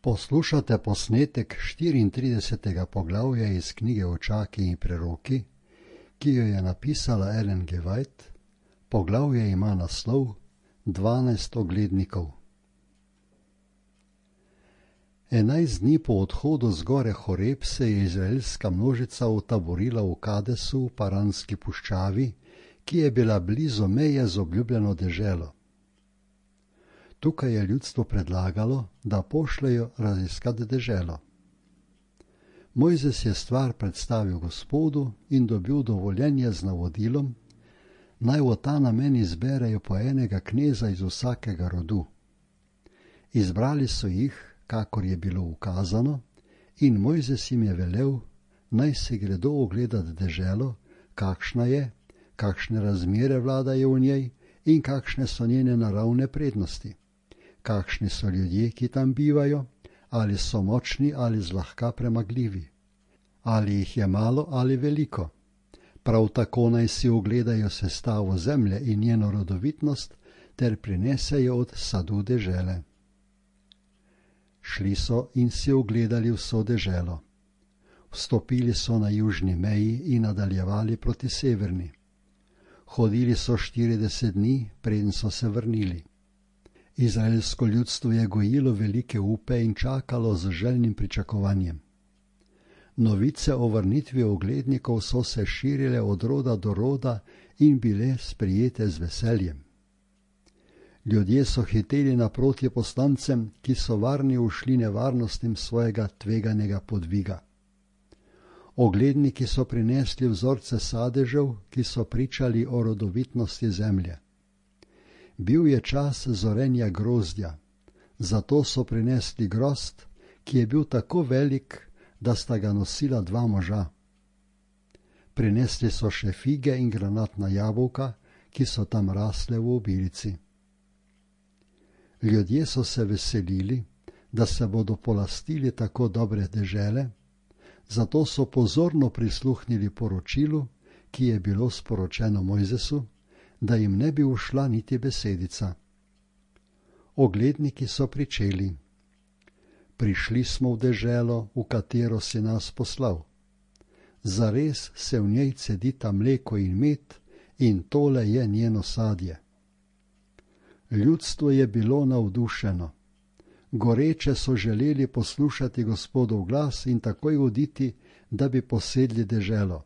Poslušate posnetek 34. poglavja iz knjige Očaki in preroki, ki jo je napisala Ellen G. White. Poglavje ima naslov 12 oglednikov. 11 dni po odhodu z gore Horeb se je izraelska množica utaborila v Kadesu v Paranski puščavi, ki je bila blizu meje z obljubljeno deželo. Tukaj je ljudstvo predlagalo, da pošljejo raziskat deželo. Mojzes je stvar predstavil Gospodu in dobil dovoljenje z navodilom, naj v ta namen izberejo po enega kneza iz vsakega rodu. Izbrali so jih, kakor je bilo ukazano, in Mojzes jim je velel, naj se gredo ogledati deželo, kakšna je, kakšne razmere vladajo v njej in kakšne so njene naravne prednosti. Kakšni so ljudje, ki tam bivajo, ali so močni ali zlahka premagljivi, ali jih je malo ali veliko. Prav tako naj si ogledajo sestavo zemlje in njeno rodovitnost, ter prinesejo od sadu dežele. Šli so in si ogledali vso deželo. Vstopili so na južni meji in nadaljevali proti severni. Hodili so 40 dni, preden so se vrnili. Izraelsko ljudstvo je gojilo velike upe in čakalo z željnim pričakovanjem. Novice o vrnitvi oglednikov so se širile od roda do roda in bile sprijete z veseljem. Ljudje so hiteli naproti poslancem, ki so varni ušli nevarnostim svojega tveganega podviga. Ogledniki so prinesli vzorce sadežev, ki so pričali o rodovitnosti zemlje. Bil je čas zorenja grozdja, zato so prinesli grozd, ki je bil tako velik, da sta ga nosila 2 moža. Prinesli so še fige in granatna jabolka, ki so tam rasle v obilici. Ljudje so se veselili, da se bodo polastili tako dobre dežele, zato so pozorno prisluhnili poročilu, ki je bilo sporočeno Mojzesu, da jim ne bi ušla niti besedica. Ogledniki so pričeli. Prišli smo v deželo, v katero si nas poslal. Zares se v njej cedita mleko in med, in tole je njeno sadje. Ljudstvo je bilo navdušeno. Goreče so želeli poslušati Gospodov glas in takoj oditi, da bi posedli deželo.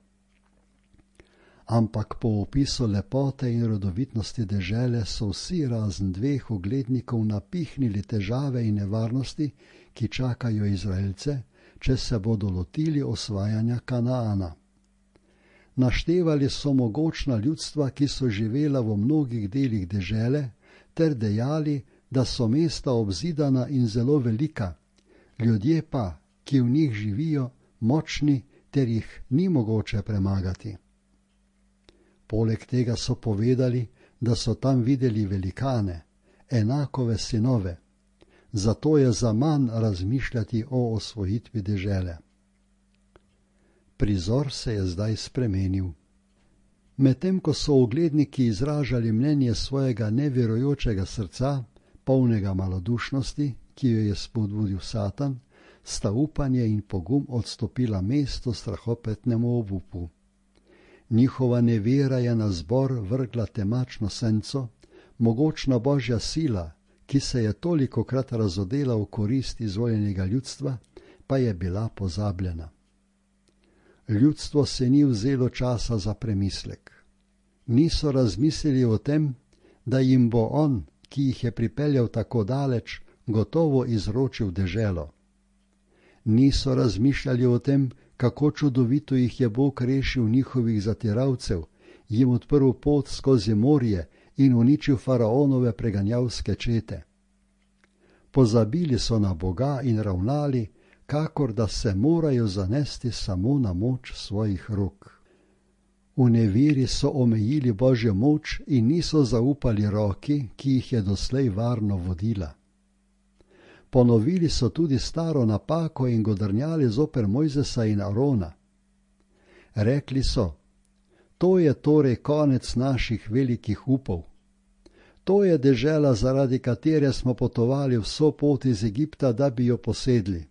Ampak po opisu lepote in rodovitnosti dežele so vsi razen 2 oglednikov napihnili težave in nevarnosti, ki čakajo Izraelce, če se bodo lotili osvajanja Kanaana. Naštevali so mogočna ljudstva, ki so živela v mnogih delih dežele, ter dejali, da so mesta obzidana in zelo velika, ljudje pa, ki v njih živijo, močni, ter jih ni mogoče premagati. Poleg tega so povedali, da so tam videli velikane, enakove sinove, zato je zaman razmišljati o osvojitvi dežele. Prizor se je zdaj spremenil. Medtem ko so ogledniki izražali mnenje svojega neverujočega srca, polnega malodušnosti, ki jo je spodbudil Satan, sta upanje in pogum odstopila mesto strahopetnemu obupu. Njihova nevera je na zbor vrgla temačno senco, mogočna božja sila, ki se je tolikokrat razodela v korist izvoljenega ljudstva, pa je bila pozabljena. Ljudstvo se ni vzelo časa za premislek. Niso razmislili o tem, da jim bo on, ki jih je pripeljal tako daleč, gotovo izročil deželo. Niso razmišljali o tem, kako čudovito jih je Bog rešil njihovih zatiralcev, jim odprl pot skozi morje in uničil faraonove preganjavske čete. Pozabili so na Boga in ravnali, kakor da se morajo zanesti samo na moč svojih rok. V neveri so omejili Božjo moč in niso zaupali roki, ki jih je doslej varno vodila. Ponovili so tudi staro napako in godrnjali zoper Mojzesa in Arona. Rekli so, to je torej konec naših velikih upov. To je dežela, zaradi katere smo potovali vso pot iz Egipta, da bi jo posedli.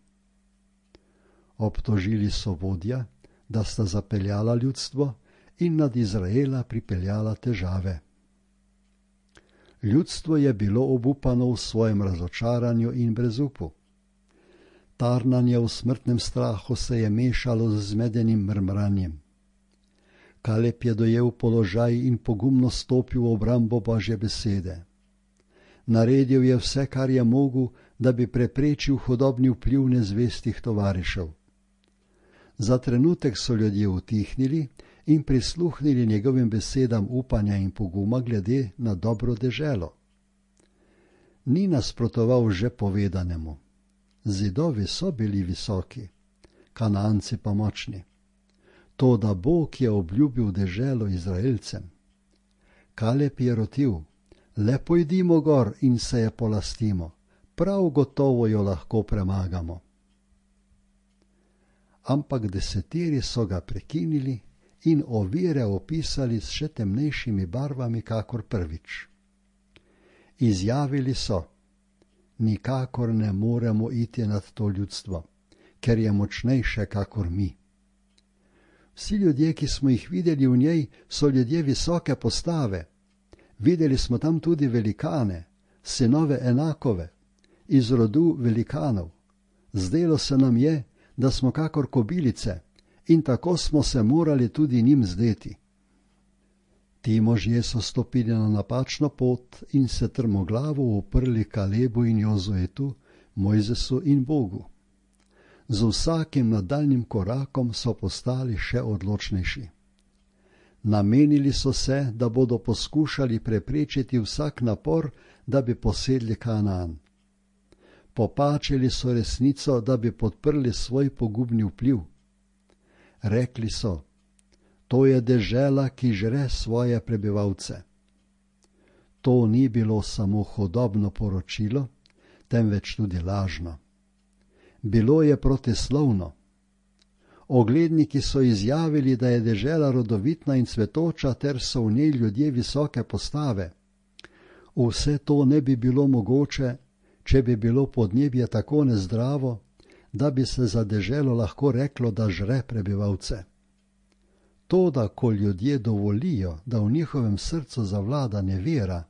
Obtožili so vodja, da sta zapeljala ljudstvo in nad Izraela pripeljala težave. Ljudstvo je bilo obupano v svojem razočaranju in brezupu. Tarnanje v smrtnem strahu se je mešalo z zmedenim mrmranjem. Kaleb je dojel položaj in pogumno stopil v obrambo Božje besede. Naredil je vse, kar je mogel, da bi preprečil hudobni vpliv nezvestih tovarišev. Za trenutek so ljudje utihnili in prisluhnili njegovim besedam upanja in poguma glede na dobro deželo. Ni nasprotoval že povedanemu. Zidovi so bili visoki, Kananci pa močni. Toda Bog je obljubil deželo Izraelcem. Kaleb je rotil, le pojdimo gor in se je polastimo, prav gotovo jo lahko premagamo. Ampak desetiri so ga prekinili in ovire opisali s še temnejšimi barvami kakor prvič. Izjavili so, nikakor ne moremo iti nad to ljudstvo, ker je močnejše kakor mi. Vsi ljudje, ki smo jih videli v njej, so ljudje visoke postave. Videli smo tam tudi velikane, sinove Enakove, iz rodu velikanov. Zdelo se nam je, da smo kakor kobilice, in tako smo se morali tudi njim zdeti. Ti možje so stopili na napačno pot in se trmoglavo uprli Kalebu in Jozuetu, Mojzesu in Bogu. Z vsakim nadaljnjim korakom so postali še odločnejši. Namenili so se, da bodo poskušali preprečiti vsak napor, da bi posedli Kanaan. Popačili so resnico, da bi podprli svoj pogubni vpliv. Rekli so, to je dežela, ki žre svoje prebivalce. To ni bilo samo hudobno poročilo, temveč tudi lažno. Bilo je protislovno. Ogledniki so izjavili, da je dežela rodovitna in cvetoča, ter so v njej ljudje visoke postave. Vse to ne bi bilo mogoče, če bi bilo podnebje tako nezdravo, da bi se za deželo lahko reklo, da žre prebivalce. To, da ko ljudje dovolijo, da v njihovem srcu zavlada nevera,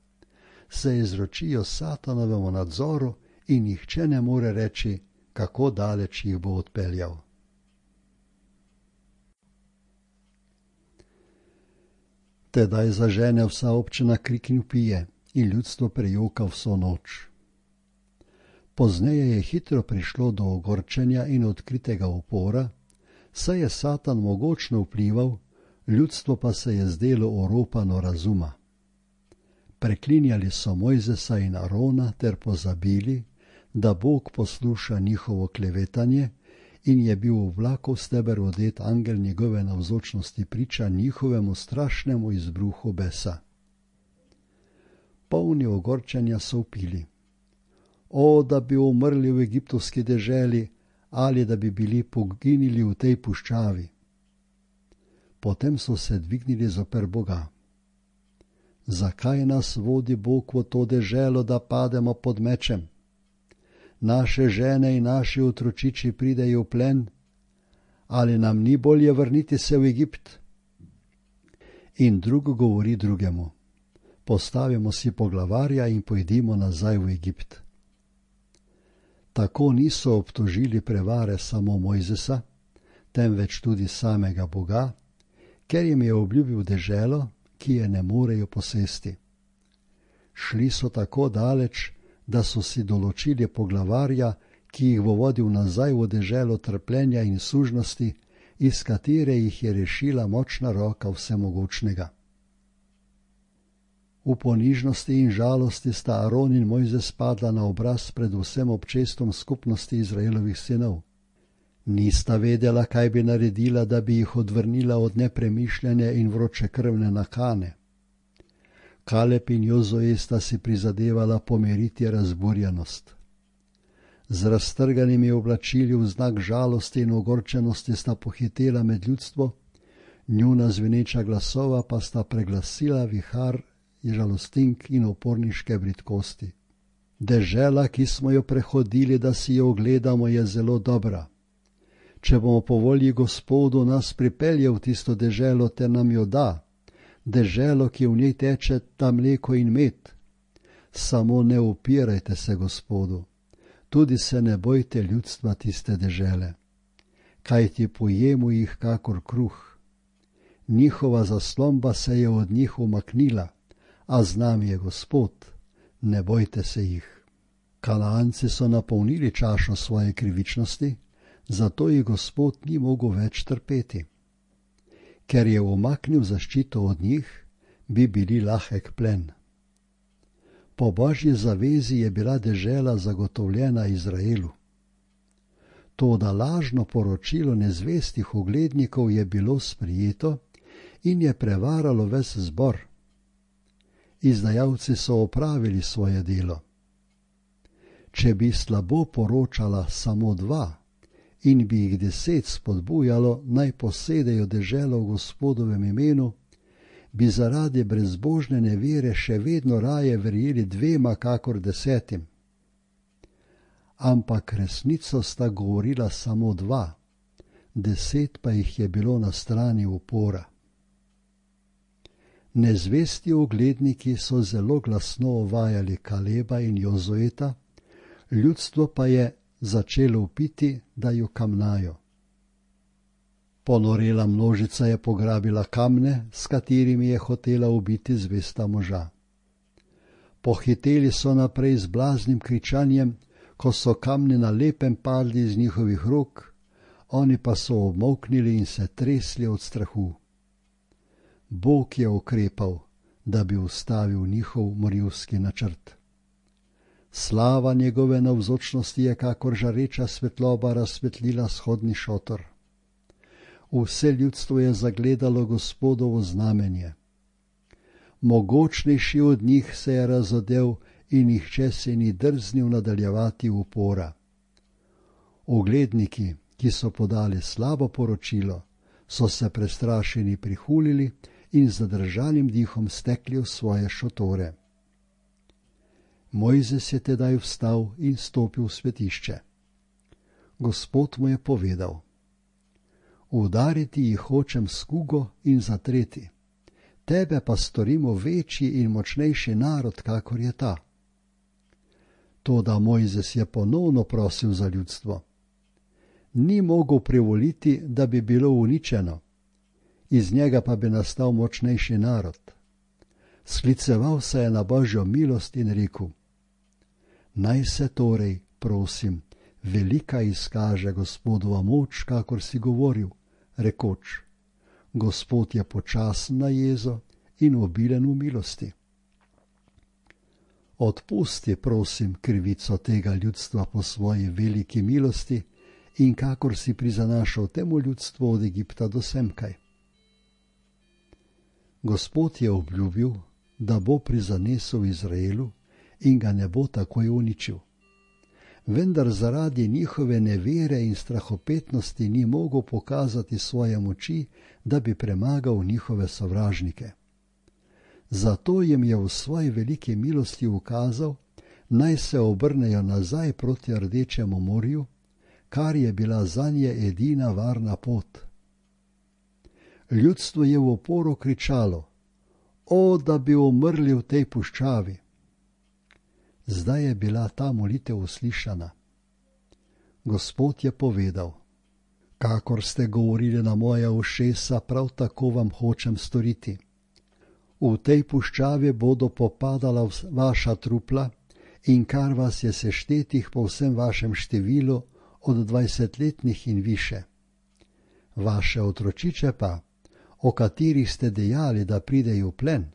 se izročijo Satanovemu nadzoru in nihče ne more reči, kako daleč jih bo odpeljal. Tedaj zažene vsa občina krik in vpije in ljudstvo prejoka vso noč. Pozneje je hitro prišlo do ogorčenja in odkritega upora, saj je Satan mogočno vplival, ljudstvo pa se je zdelo oropano razuma. Preklinjali so Mojzesa in Arona ter pozabili, da Bog posluša njihovo klevetanje in je bil v vlakov steber odet angel njegove navzočnosti priča njihovemu strašnemu izbruhu besa. Polni ogorčenja so vpili, o, da bi umrli v egiptovski deželi ali da bi bili poginili v tej puščavi. Potem so se dvignili zoper Boga. Zakaj nas vodi Bog v to deželo, da pademo pod mečem? Naše žene in naši otročiči pridejo v plen, ali nam ni bolje vrniti se v Egipt? In drug govori drugemu, postavimo si poglavarja in pojdimo nazaj v Egipt. Tako niso obtožili prevare samo Mojzesa, temveč tudi samega Boga, ker jim je obljubil deželo, ki je ne morejo posesti. Šli so tako daleč, da so si določili poglavarja, ki jih bo vodil nazaj v deželo trpljenja in sužnosti, iz katere jih je rešila močna roka Vsemogočnega. V ponižnosti in žalosti sta Aron in Mojzes padla na obraz pred vsem občestvom skupnosti Izraelovih sinov. Nista vedela, kaj bi naredila, da bi jih odvrnila od nepremišljene in vročekrvne nakane. Kaleb in Jozue sta si prizadevala pomiriti razburjenost. Z raztrganimi oblačili v znak žalosti in ogorčenosti sta pohitela med ljudstvo, njuna zveneča glasova pa sta preglasila vihar žalostink in uporniške bridkosti. Dežela, ki smo jo prehodili, da si jo ogledamo, je zelo dobra. Če bomo po volji Gospodu nas pripeljal v tisto deželo, te nam jo da, deželo, ki v njej teče ta mleko in med. Samo ne upirajte se Gospodu, tudi se ne bojte ljudstva tiste dežele, kajti pojemo jih kakor kruh. Njihova zaslomba se je od njih umaknila, a z nami je Gospod, ne bojte se jih. Kanaanci so napolnili čašo svoje krivičnosti, zato jih Gospod ni mogel več trpeti. Ker je umaknil zaščito od njih, bi bili lahek plen. Po Božji zavezi je bila dežela zagotovljena Izraelu. Toda lažno poročilo nezvestih uglednikov je bilo sprijeto in je prevaralo ves zbor. Izdajalci so opravili svoje delo. Če bi slabo poročala samo 2 in bi jih 10 spodbujalo, naj posedejo deželo v Gospodovem imenu, bi zaradi brezbožne nevere še vedno raje verjeli 2 kakor 10. Ampak resnico sta govorila samo 2, 10 pa jih je bilo na strani upora. Nezvesti ugledniki so zelo glasno ovajali Kaleba in Jozueta, ljudstvo pa je začelo vpiti, da ju kamnajo. Ponorela množica je pograbila kamne, s katerimi je hotela ubiti zvesta moža. Pohiteli so naprej z blaznim kričanjem, ko so kamni na lepem padli iz njihovih rok, oni pa so obmolknili in se tresli od strahu. Bog je ukrepal, da bi ustavil njihov morilski načrt. Slava njegove navzočnosti je kakor žareča svetloba razsvetlila shodni šotor. Vse ljudstvo je zagledalo Gospodovo znamenje. Mogočnejši od njih se je razodel in nihče se ni drznil nadaljevati upora. Ugledniki, ki so podali slabo poročilo, so se prestrašeni prihulili in z zadržanim dihom stekli v svoje šotore. Mojzes je tedaj vstal in stopil v svetišče. Gospod mu je povedal: udariti jih hočem s kugo in zatreti, tebe pa storimo večji in močnejši narod, kakor je ta. Toda Mojzes je ponovno prosil za ljudstvo. Ni mogel privoliti, da bi bilo uničeno, iz njega pa bi nastal močnejši narod. Skliceval se je na Božjo milost in rekel: naj se torej, prosim, velika izkaže Gospodova moč, kakor si govoril, rekoč: Gospod je počasen na jezo in obilen v milosti. Odpusti, prosim, krivico tega ljudstva po svoji veliki milosti in kakor si prizanašal temu ljudstvu od Egipta do semkaj. Gospod je obljubil, da bo prizanesel Izraelu in ga ne bo takoj uničil. Vendar zaradi njihove nevere in strahopetnosti ni mogel pokazati svoje moči, da bi premagal njihove sovražnike. Zato jim je v svoji veliki milosti ukazal, naj se obrnejo nazaj proti Rdečemu morju, kar je bila zanje edina varna pot. Ljudstvo je v oporu kričalo: o, da bi umrli v tej puščavi. Zdaj je bila ta molitev uslišana. Gospod je povedal: kakor ste govorili na moja ušesa, prav tako vam hočem storiti. V tej puščavi bodo popadala vaša trupla in kar vas je seštetih po vsem vašem številu od 20-letnih in više. Vaše otročiče pa, o katerih ste dejali, da pridejo v plen,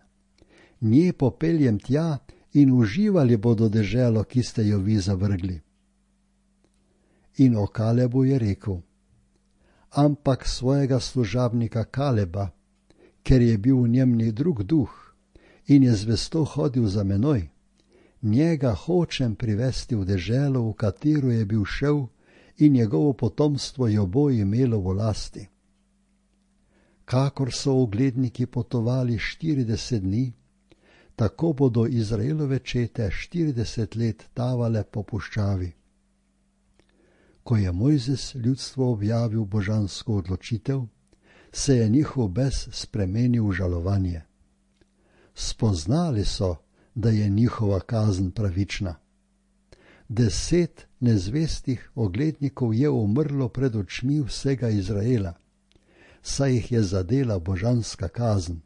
nje popeljem tja in uživali bodo deželo, ki ste jo vi zavrgli. In o Kalebu je rekel: ampak svojega služabnika Kaleba, ker je bil v njem drug duh in je zvesto hodil za menoj, njega hočem privesti v deželo, v katero je bil šel, in njegovo potomstvo jo bo imelo v lasti. Kakor so ugledniki potovali 40 dni, tako bodo Izraelove čete 40 let tavale po puščavi. Ko je Mojzes ljudstvo objavil božansko odločitev, se je njihov bes spremenil v žalovanje. Spoznali so, da je njihova kazen pravična. 10 nezvestih oglednikov je umrlo pred očmi vsega Izraela, saj jih je zadela božanska kazen.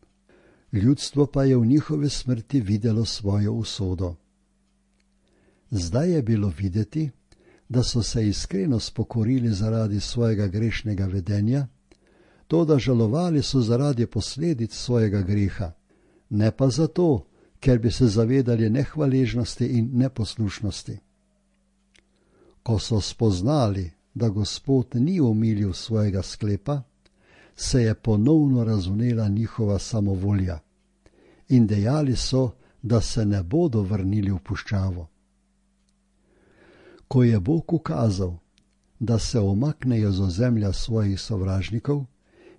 Ljudstvo pa je v njihove smrti videlo svojo usodo. Zdaj je bilo videti, da so se iskreno spokorili zaradi svojega grešnega vedenja, toda žalovali so zaradi posledic svojega greha, ne pa zato, ker bi se zavedali nehvaležnosti in neposlušnosti. Ko so spoznali, da Gospod ni omilil svojega sklepa, se je ponovno razvnela njihova samovolja in dejali so, da se ne bodo vrnili v puščavo. Ko je Bog ukazal, da se omaknejo z ozemlja svojih sovražnikov,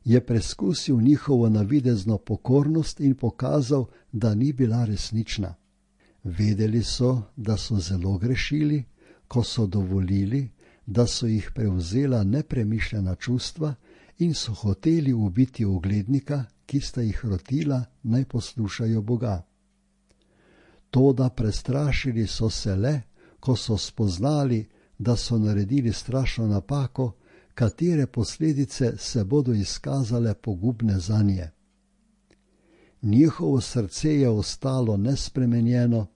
je preskusil njihovo navidezno pokornost in pokazal, da ni bila resnična. Vedeli so, da so zelo grešili, ko so dovolili, da so jih prevzela nepremišljena čustva in so hoteli ubiti oglednika, ki sta jih rotila, naj poslušajo Boga. Toda prestrašili so se le, ko so spoznali, da so naredili strašno napako, katere posledice se bodo izkazale pogubne zanje. Njihovo srce je ostalo nespremenjeno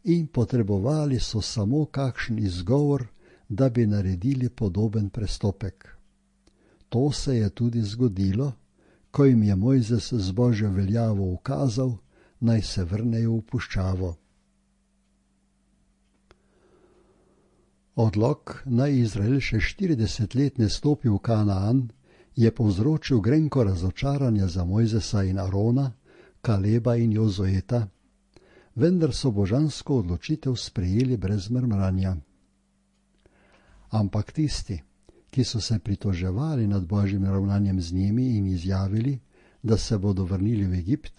in potrebovali so samo kakšen izgovor, da bi naredili podoben prestopek. To se je tudi zgodilo, ko jim je Mojzes z Božjo veljavo ukazal, naj se vrnejo v puščavo. Odlok, naj Izrael še 40 let ne stopi v Kanaan, je povzročil grenko razočaranje za Mojzesa in Arona, Kaleba in Jozueta, vendar so božansko odločitev sprejeli brez mrmranja. Ampak tisti, ki so se pritoževali nad Božjim ravnanjem z njimi in izjavili, da se bodo vrnili v Egipt,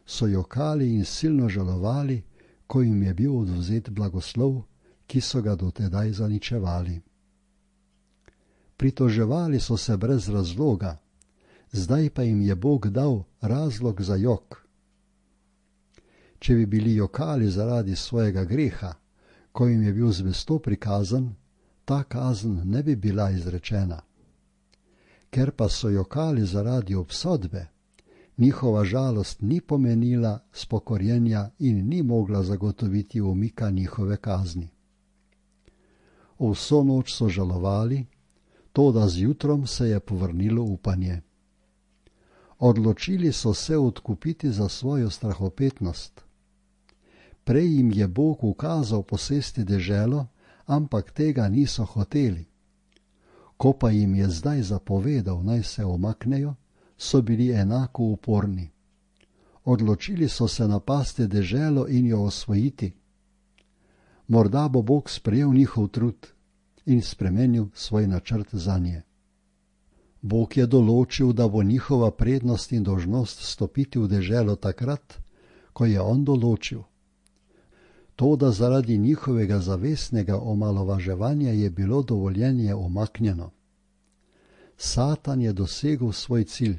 so jokali in silno žalovali, ko jim je bil odvzet blagoslov, ki so ga dotedaj zaničevali. Pritoževali so se brez razloga, zdaj pa jim je Bog dal razlog za jok. Če bi bili jokali zaradi svojega greha, ko jim je bil zvesto prikazan, ta kazen ne bi bila izrečena. Ker pa so jokali zaradi obsodbe, njihova žalost ni pomenila spokorjenja in ni mogla zagotoviti umika njihove kazni. Vso noč so žalovali, toda zjutrom se je povrnilo upanje. Odločili so se odkupiti za svojo strahopetnost. Prej jim je Bog ukazal posesti deželo, ampak tega niso hoteli. Ko pa jim je zdaj zapovedal, naj se omaknejo, so bili enako uporni. Odločili so se napasti deželo in jo osvojiti. Morda bo Bog sprejel njihov trud in spremenil svoj načrt zanje. Bog je določil, da bo njihova prednost in dolžnost stopiti v deželo takrat, ko je on določil. Toda zaradi njihovega zavestnega omalovaževanja je bilo dovoljenje umaknjeno. Satan je dosegel svoj cilj.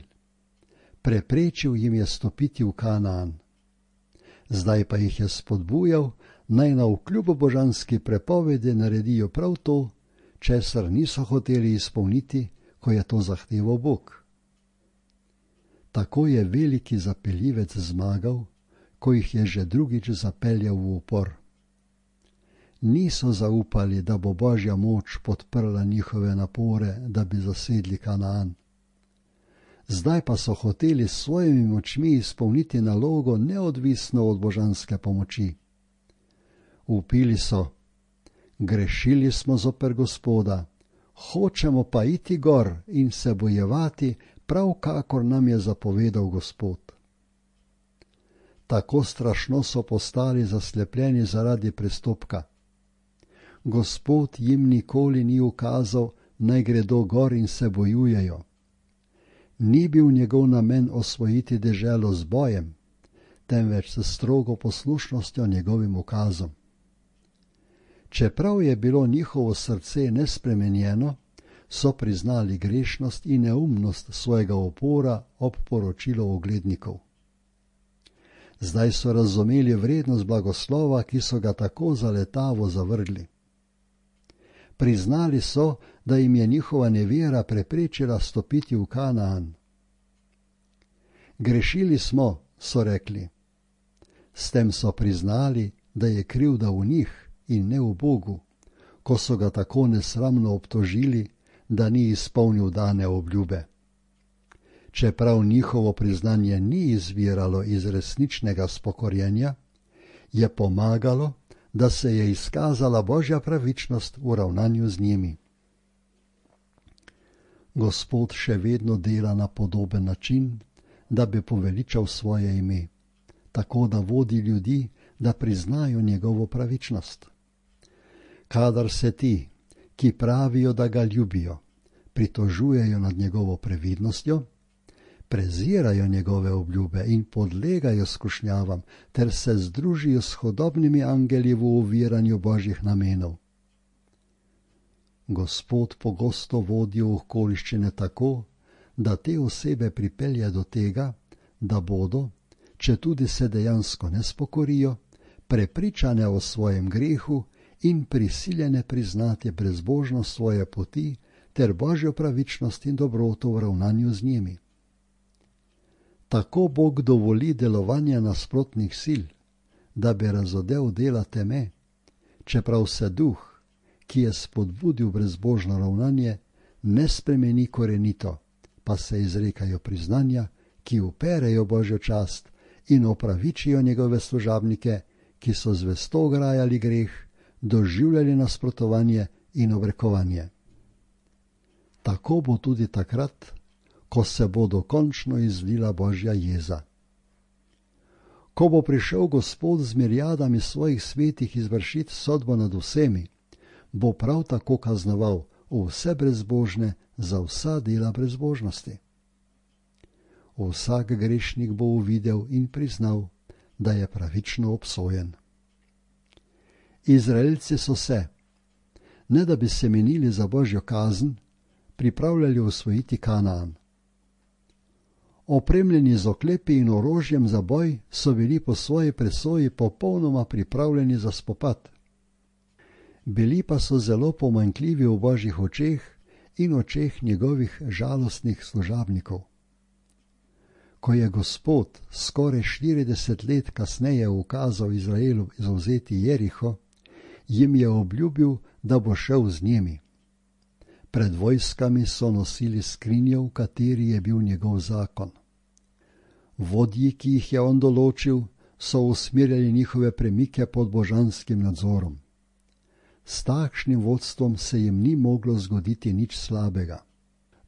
Preprečil jim je stopiti v Kanaan. Zdaj pa jih je spodbujal, naj navkljub božanski prepovedi naredijo prav to, česar niso hoteli izpolniti, ko je to zahteval Bog. Tako je veliki zapeljivec zmagal, ko jih je že drugič zapeljal v upor. Niso zaupali, da bo Božja moč podprla njihove napore, da bi zasedli Kanaan. Zdaj pa so hoteli s svojimi močmi izpolniti nalogo neodvisno od božanske pomoči. Vpili so: grešili smo zoper Gospoda, hočemo pa iti gor in se bojevati, prav kakor nam je zapovedal Gospod. Tako strašno so postali zaslepljeni zaradi prestopka. Gospod jim nikoli ni ukazal, naj gredo gor in se bojujejo. Ni bil njegov namen osvojiti deželo z bojem, temveč s strogo poslušnostjo njegovim ukazom. Čeprav je bilo njihovo srce nespremenjeno, so priznali grešnost in neumnost svojega upora ob poročilu oglednikov. Zdaj so razumeli vrednost blagoslova, ki so ga tako zaletavo zavrgli. Priznali so, da jim je njihova nevera preprečila stopiti v Kanaan. Grešili smo, so rekli. S tem so priznali, da je krivda v njih in ne v Bogu, ko so ga tako nesramno obtožili, da ni izpolnil dane obljube. Čeprav njihovo priznanje ni izviralo iz resničnega spokorjenja, je pomagalo, da se je izkazala Božja pravičnost v ravnanju z njimi. Gospod še vedno dela na podoben način, da bi poveličal svoje ime, tako da vodi ljudi, da priznajo njegovo pravičnost. Kadar se ti, ki pravijo, da ga ljubijo, pritožujejo nad njegovo previdnostjo, prezirajo njegove obljube in podlegajo skušnjavam ter se združijo s hudobnimi angeli v oviranju Božjih namenov. Gospod pogosto vodi v okoliščine tako, da te osebe pripelje do tega, da bodo, četudi se dejansko ne spokorijo, prepričane o svojem grehu in prisiljene priznati brezbožnost svoje poti ter Božjo pravičnost in dobroto v ravnanju z njimi. Tako Bog dovoli delovanje nasprotnih sil, da bi razodel dela teme, čeprav se duh, ki je spodbudil brezbožno ravnanje, ne spremeni korenito, pa se izrekajo priznanja, ki uperejo Božjo čast in opravičijo njegove služabnike, ki so zvesto grajali greh, doživljali nasprotovanje in obrekovanje. Tako bo tudi takrat, ko se bo dokončno izlila Božja jeza. Ko bo prišel Gospod z mirijadami svojih svetih izvršiti sodbo nad vsemi, bo prav tako kaznoval vse brezbožne za vsa dela brezbožnosti. Vsak grešnik bo uvidel in priznal, da je pravično obsojen. Izraelci so se, ne da bi se menili za Božjo kazen, pripravljali osvojiti Kanaan. Opremljeni z oklepi in orožjem za boj so bili po svoji presoji popolnoma pripravljeni za spopad. Bili pa so zelo pomanjkljivi v Božjih očeh in očeh njegovih žalostnih služabnikov. Ko je Gospod skoraj 40 let kasneje ukazal Izraelu zavzeti Jeriho, jim je obljubil, da bo šel z njimi. Pred vojskami so nosili skrinjo, v kateri je bil njegov zakon. Vodji, ki jih je on določil, so usmerjali njihove premike pod božanskim nadzorom. S takšnim vodstvom se jim ni moglo zgoditi nič slabega.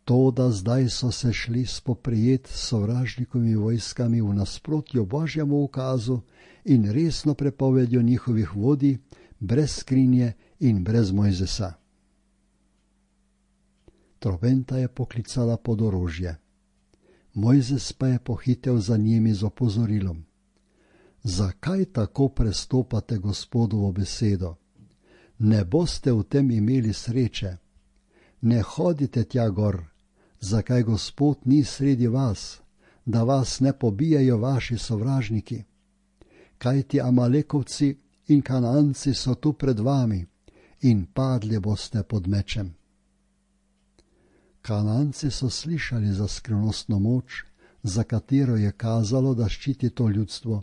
To, da zdaj so se šli spoprijeti s sovražnikovimi vojskami v nasprotju Božjemu ukazu in resno prepovedjo njihovih vodij, brez skrinje in brez Mojzesa. Trobenta je poklicala pod orožje. Mojzes pa je pohitel za njimi z opozorilom. Zakaj tako prestopate Gospodovo besedo? Ne boste v tem imeli sreče. Ne hodite tja gor, zakaj Gospod ni sredi vas, da vas ne pobijajo vaši sovražniki. Kajti Amalekovci in Kanaanci so tu pred vami in padli boste pod mečem. Kanaanci so slišali za skrivnostno moč, za katero je kazalo, da ščiti to ljudstvo,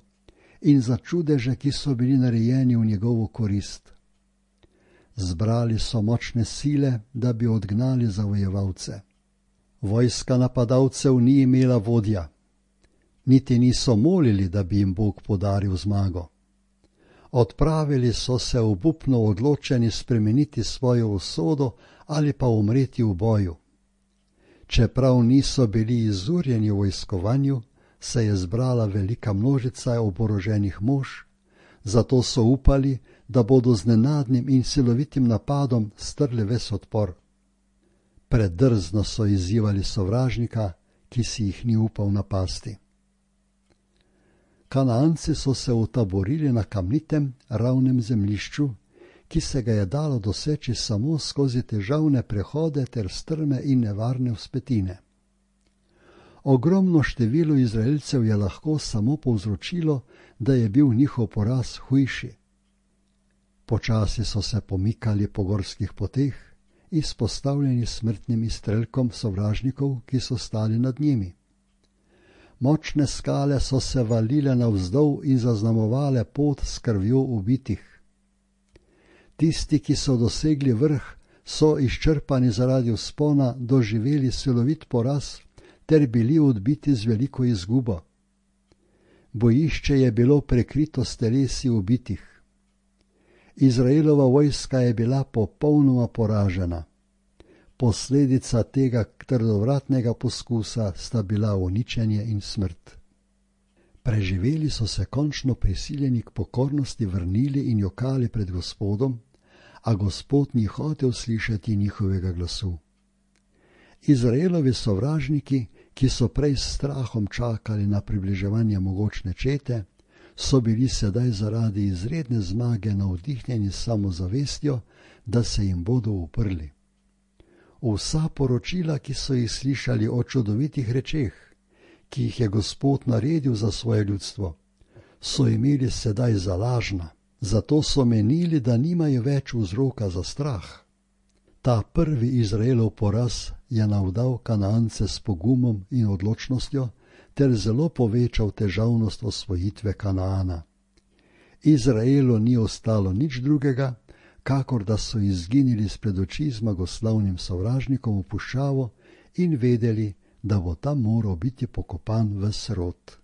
in za čudeže, ki so bili narejeni v njegovo korist. Zbrali so močne sile, da bi odgnali zavojevalce. Vojska napadalcev ni imela vodja, niti niso molili, da bi jim Bog podaril zmago. Odpravili so se obupno odločeni spremeniti svojo usodo ali pa umreti v boju. Čeprav niso bili izurjeni v vojskovanju, se je zbrala velika množica oboroženih mož, zato so upali, da bodo z nenadnim in silovitim napadom strli ves odpor. Predrzno so izzivali sovražnika, ki si jih ni upal napasti. Kanaanci so se utaborili na kamnitem, ravnem zemljišču, ki se ga je dalo doseči samo skozi težavne prehode ter strme in nevarne vzpetine. Ogromno število Izraelcev je lahko samo povzročilo, da je bil njihov poraz hujši. Počasi so se pomikali po gorskih poteh, izpostavljeni smrtnim izstrelkom sovražnikov, ki so stali nad njimi. Močne skale so se valile navzdol in zaznamovale pot s krvjo ubitih. Tisti, ki so dosegli vrh, so izčrpani zaradi vzpona doživeli silovit poraz ter bili odbiti z veliko izgubo. Bojišče je bilo prekrito s telesi ubitih. Izraelova vojska je bila popolnoma poražena. Posledica tega trdovratnega poskusa sta bila uničenje in smrt. Preživeli so se končno prisiljeni k pokornosti vrnili in jokali pred Gospodom, a Gospod ni hotel slišati njihovega glasu. Izraelovi sovražniki, ki so prej s strahom čakali na približevanje mogočne čete, so bili sedaj zaradi izredne zmage navdihnjeni s samozavestjo, da se jim bodo uprli. Vsa poročila, ki so jih slišali o čudovitih rečeh, ki jih je Gospod naredil za svoje ljudstvo, so imeli sedaj za lažna, zato so menili, da nimajo več vzroka za strah. Ta prvi Izraelov poraz je navdal Kanaance s pogumom in odločnostjo ter zelo povečal težavnost osvojitve Kanaana. Izraelu ni ostalo nič drugega, kakor da so izginili spred oči zmagoslavnim sovražnikom v puščavo in vedeli, da bo tam moral biti pokopan ves rod.